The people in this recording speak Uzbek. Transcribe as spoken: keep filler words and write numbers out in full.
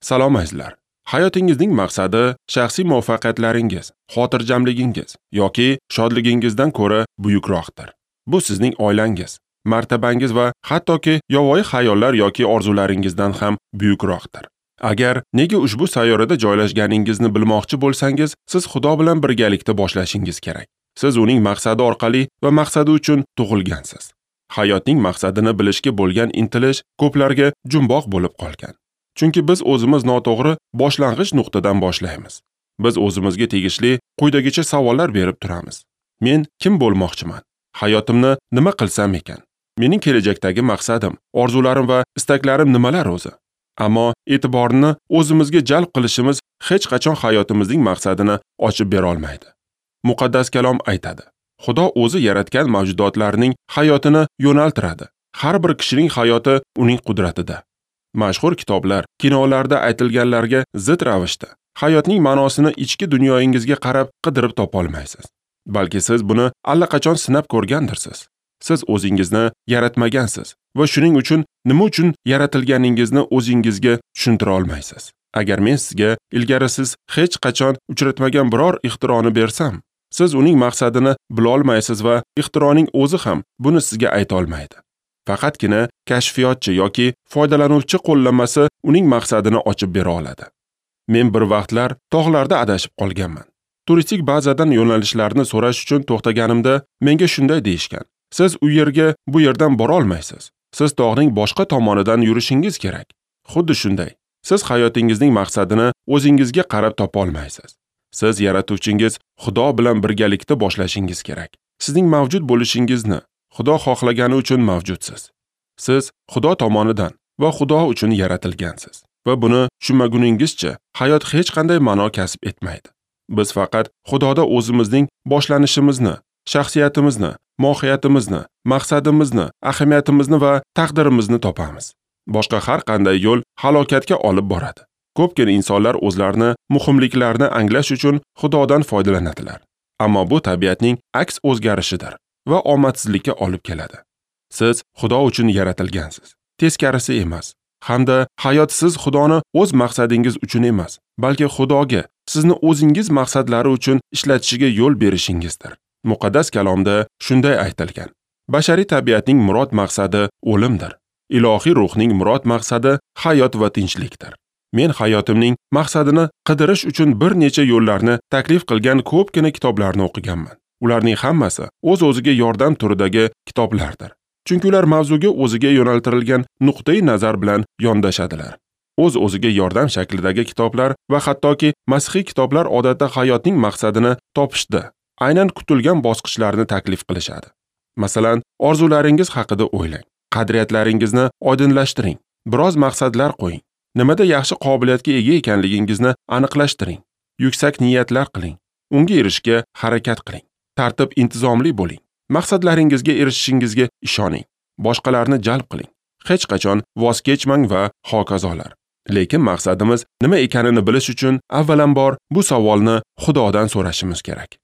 Salom azizlar. Hayotingizning maqsadi shaxsiy muvaffaqiyatlaringiz, xotirjamligingiz yoki shodligingizdan ko'ra buyukroqdir. Bu sizning oilangiz, martabangiz va hattoki yovvoyi xayollar yoki orzularingizdan ham buyukroqdir. Agar nega ushbu sayyorada joylashganingizni bilmoqchi bo'lsangiz, siz Xudo bilan birgalikda boshlashingiz kerak. Siz uning maqsadi orqali va maqsadi uchun tug'ilgansiz. Hayotning maqsadini bilishga bo'lgan intilish ko'plarga jumboq bo'lib qolgan. Chunki biz o'zimiz noto'g'ri boshlang'ich nuqtadan boshlaymiz. Biz o'zimizga tegishli quyidagicha savollar berib turamiz. Men kim bo'lmoqchiman? Hayotimni nima qilsam ekan? Mening kelajakdagi maqsadim, orzularim va istaklarim nimalar o'zi? Ammo e'tiborni o'zimizga jalb qilishimiz hech qachon hayotimizning maqsadini ochib bera olmaydi. Muqaddas kalom aytadi: Xudo o'zi yaratgan mavjudotlarning hayotini yo'naltiradi. Har bir kishining hayoti uning qudratida. Mashhur kitoblar, kinolarda aytilganlarga zid ravishda hayotning ma'nosini ichki dunyoyingizga qarab qidirib topa olmaysiz. Balki siz buni allaqachon sinab ko'rgandirsiz. Siz o'zingizni yaratmagansiz va shuning uchun nima uchun yaratilganingizni o'zingizga tushuntira olmaysiz. Agar men sizga ilgari siz hech qachon uchratmagan biror ixtironi bersam, siz uning maqsadini bila olmaysiz va ixtironing o'zi ham buni sizga ayta olmaydi. Faqatgina kashfiyotchi yoki foydalanuvchi qo'llanmasi uning maqsadini ochib bera oladi. Men bir vaqtlar tog'larda adashib qolganman. Turistik bazadan yo'nalishlarni so'rash uchun to'xtaganimda menga shunday deyishgan: siz u yerga bu yerdan bora olmaysiz. Siz tog'ning boshqa tomonidan yurishingiz kerak. Xuddi shunday, siz hayotingizning maqsadini o'zingizga qarab topa olmaysiz. Siz yaratuvchingiz Xudo bilan birgalikda boshlashingiz kerak. Sizning mavjud bo'lishingizni Xudo xohlagani uchun mavjudsiz. Siz Xudo tomonidan va Xudo uchun yaratilgansiz va buni tushunmaguningizcha hayot hech qanday ma'no kasb etmaydi. Biz faqat Xudoda o'zimizning boshlanishimizni, shaxsiyatimizni, mohiyatimizni, maqsadimizni, ahamiyatimizni va taqdirimizni topamiz. Boshqa har qanday yo'l halokatga olib boradi. Ko'pgina insonlar o'zlarini muhimliklarini anglash uchun Xudodan foydalanadilar. Ammo bu tabiatning aks o'zgarishidir va omadsizlikka olib keladi. Siz Xudo uchun yaratilgansiz, teskarisi emas. Hamda hayot siz Xudoni o'z maqsadingiz uchun emas, balki Xudoga sizni o'zingiz maqsadlari uchun ishlatishiga yo'l berishingizdir. Muqaddas kalomda shunday aytilgan: bashariy tabiatning murod maqsadi o'limdir. Ilohiy ruhning murod maqsadi hayot va tinchlikdir. Men hayotimning maqsadini qidirish uchun bir necha yo'llarni taklif qilgan ko'pgina kitoblarni o'qiganman. Ularning hammasi o'z-o'ziga yordam turidagi kitoblardir. Chunki ular mavzuga o'ziga yo'naltirilgan nuqtai nazar bilan yondashadilar. O'z-o'ziga yordam shaklidagi kitoblar va hattoki masihiy kitoblar odatda hayotning maqsadini topishda aynan kutilgan bosqichlarni taklif qilishadi. Masalan, orzularingiz haqida o'ylang, qadriyatlaringizni oydinlashtiring, biroz maqsadlar qo'ying, nimada yaxshi qobiliyatga ega ekanligingizni aniqlashtiring, yuksak niyatlar qiling, unga erishishga harakat qiling, tartib intizomli bo'ling, maqsadlaringizga erishishingizga ishoning, boshqalarni jalb qiling, hech qachon voz kechmang va hokazolar. Lekin maqsadimiz nima ekanini bilish uchun avvalambor bu savolni Xudodan so'rashimiz kerak.